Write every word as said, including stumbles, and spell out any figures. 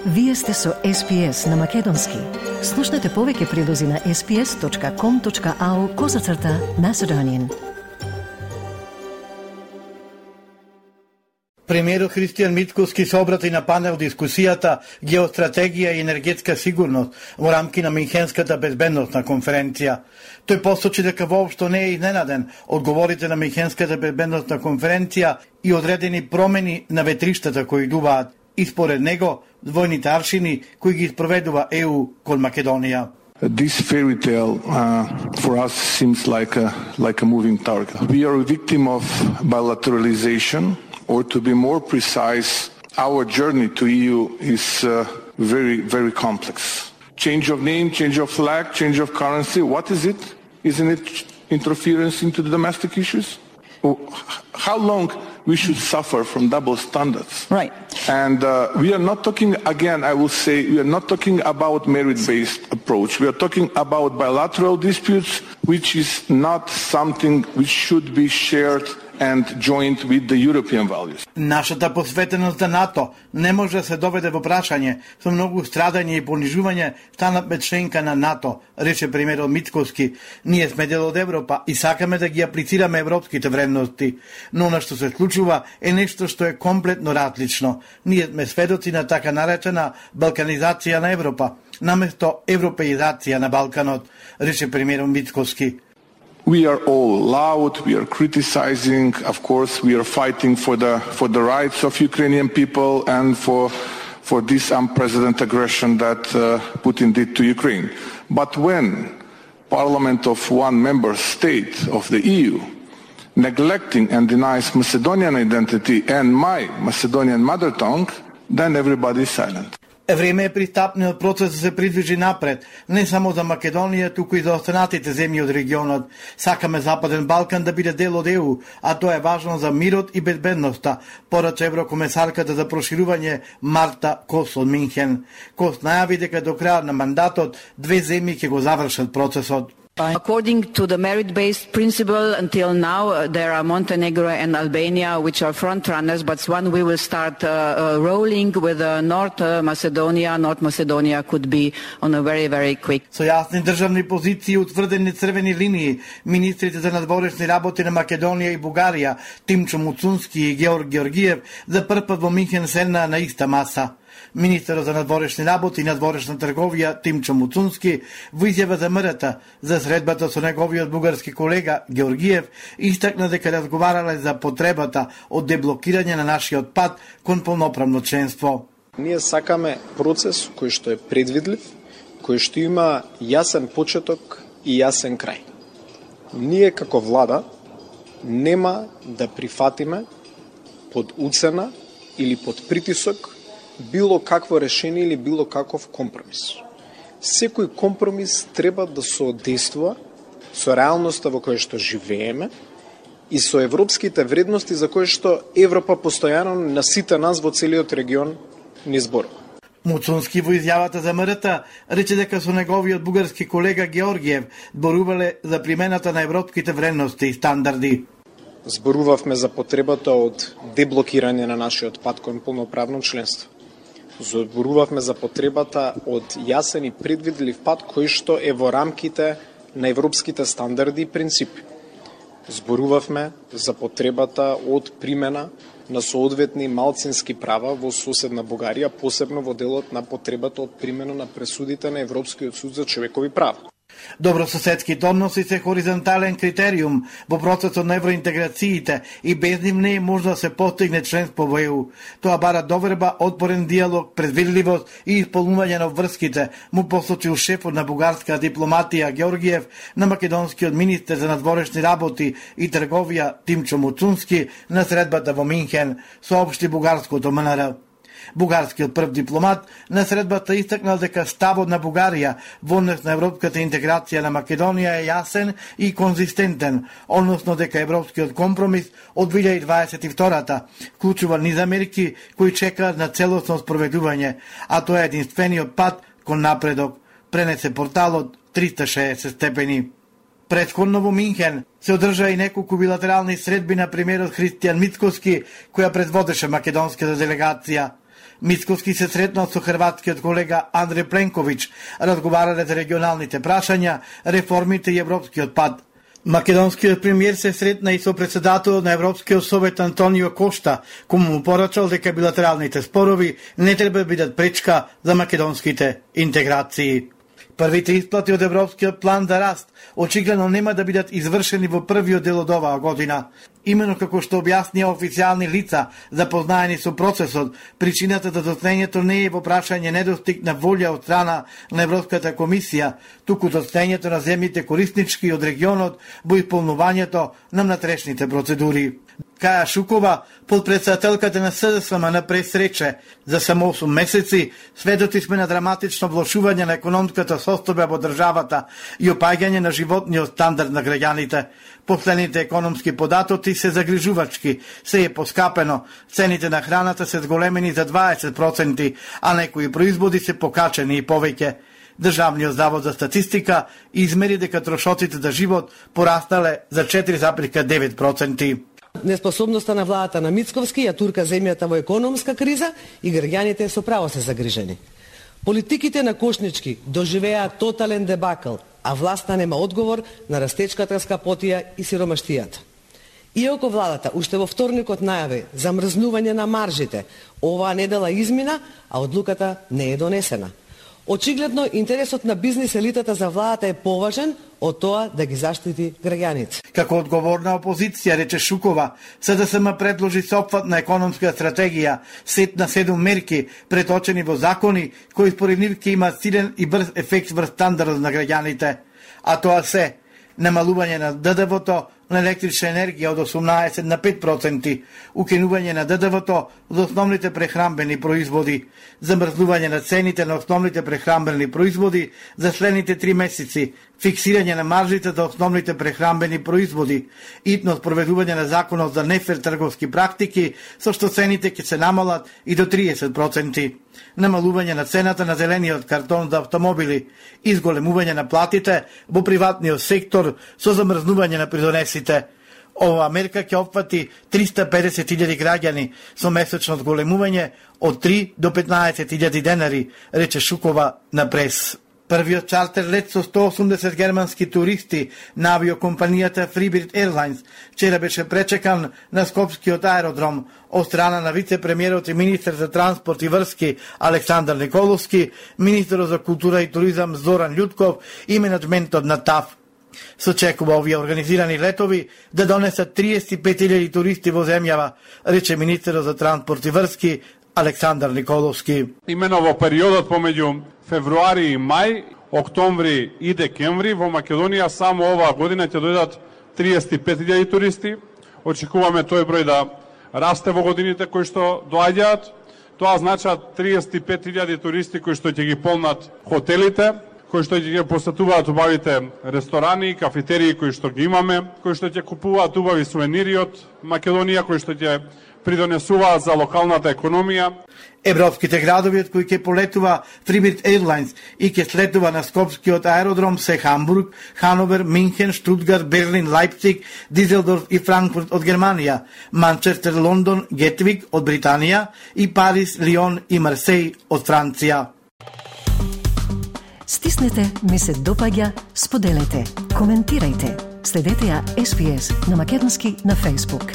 Вие сте со Ес Пи Ес на Македонски. Слушнете повеќе прилози на ес пи ес точка ком точка ау козацрта Macedonian. Премиерот Христијан Мицкоски се обрати на панел дискусијата Геостратегија и енергетска сигурност во рамки на Минхенската безбедносна конференција. Тој посочи дека воопшто не е изненаден од говорите на Минхенската безбедносна конференција и одредени промени на ветриштата кои идуваат и според него двојните аршини кои ги спроведува Е У кон Македонија. This fairy tale uh, for us seems like a like a moving target. We are a victim of bilateralization, or to be more precise, our journey to E U is uh, very, very complex. Change of name, change of flag, change of currency, what is it? Isn't it interference into the domestic issues? How long we should suffer from double standards? Right. And uh, we are not talking, again, I will say, we are not talking about merit-based approach. We are talking about bilateral disputes, which is not something which should be shared and joined with the European values. Нашата посветеност на НАТО не може да се доведе во прашање со многу страдање и понижување станавме членка на НАТО, рече премиерот Мицкоски. Ние сме дел од Европа и сакаме да ги аплицираме европските вредности, но она што се случува е нешто што е комплетно различно. Ние сме сведоци на така наречена балканизација на Европа, наместо европеизација на Балканот, рече премиерот Мицкоски. We are all loud, we are criticizing, of course we are fighting for the for the rights of Ukrainian people and for for this unprecedented aggression that uh, Putin did to Ukraine. But when parliament of one member state of the E U neglecting and denies Macedonian identity and my Macedonian mother tongue, then everybody is silent. Време е пристапниот процес да се придвижи напред, не само за Македонија, туку и за останатите земји од регионот. Сакаме Западен Балкан да биде дел од Е У, а тоа е важно за мирот и безбедноста, порача еврокомесарката за проширување Марта Кос од Минхен. Кос најави дека до крајот на мандатот две земји ќе го завршат процесот. According to the merit-based principle, until now uh, there are Montenegro and Albania which are front runners, but when we will start uh, uh, rolling with uh, North uh, Macedonia, North Macedonia could be on a very, very quick. Со јасни државни позиции и утврдени црвени линии, министрите за надворешни работи на Македонија и Бугарија, Тимчо Муцунски и Георг Георгиев, за прв пат во Минхен седнаа на иста маса. Министерот за надворешни работи и надворешна трговија Тимчо Муцунски во изјава за МРТ за средбата со неговиот бугарски колега Георгиев истакна дека разговарале за потребата од деблокирање на нашиот пат кон полноправно членство. Ние сакаме процес кој што е предвидлив, кој што има јасен почеток и јасен крај. Ние како влада нема да прифатиме под уцена или под притисок било какво решение или било каков компромис. Секој компромис треба да соодействува со реалноста во која што живееме и со европските вредности за кои што Европа постојано на сите нас во целиот регион ни зборува. Муцунски во изјавата за МРТ рече дека со неговиот бугарски колега Георгиев зборувале за примената на европските вредности и стандарди. Зборувавме за потребата од деблокирање на нашиот пат кон полноправно членство. Зборувавме за потребата од јасен и предвидлив пат кој што е во рамките на европските стандарди и принципи. Зборувавме за потребата од примена на соодветни малцински права во соседна Бугарија, посебно во делот на потребата од примена на пресудите на Европскиот суд за човекови права. Добрососедските односи се хоризонтален критериум во процесот на евроинтеграциите и без нив не е можно да се постигне членство во Е У. Тоа бара доверба, отворен диалог, предвидливост и исполнување на врските, му посочил шефот на бугарска дипломатија Георгиев на македонскиот министер за надворешни работи и трговија Тимчо Муцунски на средбата во Минхен, соопшти бугарското М Н Р. Бугарскиот прв дипломат на средбата истакнал дека ставот на Бугарија во однос на европската интеграција на Македонија е јасен и конзистентен, односно дека европскиот компромис од две илјади дваесет и втора вклучува низ мерки кои чекаат на целосно спроведување, а тоа е единствениот пат кон напредок, пренесе порталот триста и шеесет степени. Претходно во Минхен се одржа и неколку билатерални средби на премиерот Христијан Мицкоски, која предводеше македонската делегација. Мицковски се сретнал со хрватскиот колега Андреј Пленковиќ, разговарале за регионалните прашања, реформите и европскиот пат. Македонскиот премиер се сретна и со председателот на Европскиот совет Антонио Кошта, кому му порачал дека билатералните спорови не треба да бидат пречка за македонските интеграции. Првите исплати од Европскиот план за раст очигледно нема да бидат извршени во првиот дел од оваа година. Имено како што објаснија официјални лица запознаени со процесот, причината за доцнењето не е во прашање недостиг на волја од страна на Европската комисија, туку доцнењето на земјите кориснички од регионот во исполнувањето на внатрешните процедури. Каја Шукова, подпредседателката на СДСМ на пресрече, за само осум месеци сведоци сме на драматично влошување на економската состојба во државата и опаѓање на животниот стандард на граѓаните. Последните економски податоци се загрижувачки, се е поскапено, цените на храната се зголемени за дваесет проценти, а некои производи се покачени и повеќе. Државниот завод за статистика измери дека трошоците за живот пораснале за четири зарез девет проценти. Неспособноста на владата на Мицковски ја турка земјата во економска криза и граѓаните со право се загрижени. Политиките на Кошнички доживеа тотален дебакл, а власта нема одговор на растечката скапотија и сиромаштијата. Иако владата уште во вторникот најави замрзнување на маржите, оваа недела измина, а одлуката не е донесена. Очигледно, интересот на бизнис елитата за владата е поважен од тоа да ги заштити граѓаните. Како одговорна опозиција, рече Шукова, СДСМ предложи сопфатна економска стратегија, сет на седум мерки, преточени во закони, кои според нив ќе имаат силен и брз ефект врз стандардот на граѓаните. А тоа се намалување на ДД В-то на електрична енергија од осумнаесет на пет проценти, укинување на ДД В-то за основните прехранбени производи, замрзнување на цените на основните прехранбени производи за следните три месеци, фиксирање на маржите за основните прехранбени производи, итно спроведување на законот за нефер трговски практики, со што цените ќе се намалат и до триесет проценти, намалување на цената на зелениот картон за автомобили, изголемување на платите во приватниот сектор со замрзнување на придонесите. Оваа мерка ќе опфати триста и педесет илјади граѓани со месечно зголемување од три до петнаесет илјади денари, рече Шукова на прес. Првиот чартер лет со сто осумдесет германски туристи на авиокомпанијата Freebird Airlines вчера беше пречекан на Скопскиот аеродром од страна на вице-премиерот и министер за транспорт и врски Александар Николовски, министерот за култура и туризам Зоран Љутков и менаџментот на ТАФ. Се очекува овие организирани летови да донесат триесет и пет илјади туристи во земјава, рече министерот за транспорт и врски Александар Николовски. Имено во периодот помеѓу февруари и мај, октомври и декември во Македонија само оваа година ќе дојдат триесет и пет илјади туристи. Очекуваме тој број да расте во годините кои што доаѓаат. Тоа значат триесет и пет илјади туристи кои што ќе ги полнат хотелите, кои што ќе ги посетуваат убавите ресторани и кафетерии кои што ги имаме, кои што ќе купуваат убави сувенири од Македонија, кои што ќе придонесуваат за локалната економија. Европските градови од кои ќе полетува Freebird Airlines и ќе слетува на Скопскиот аеродром се Хамбург, Хановер, Минхен, Штутгарт, Берлин, Лајпциг, Дизелдорф и Франкфурт од Германија, Манчестер, Лондон, Гетвик од Британија и Париз, Лион и Марсеј од Франција. Стиснете, ми се допаѓа, споделете, коментирајте. Следете ја Ес Би Ес на македонски на Facebook.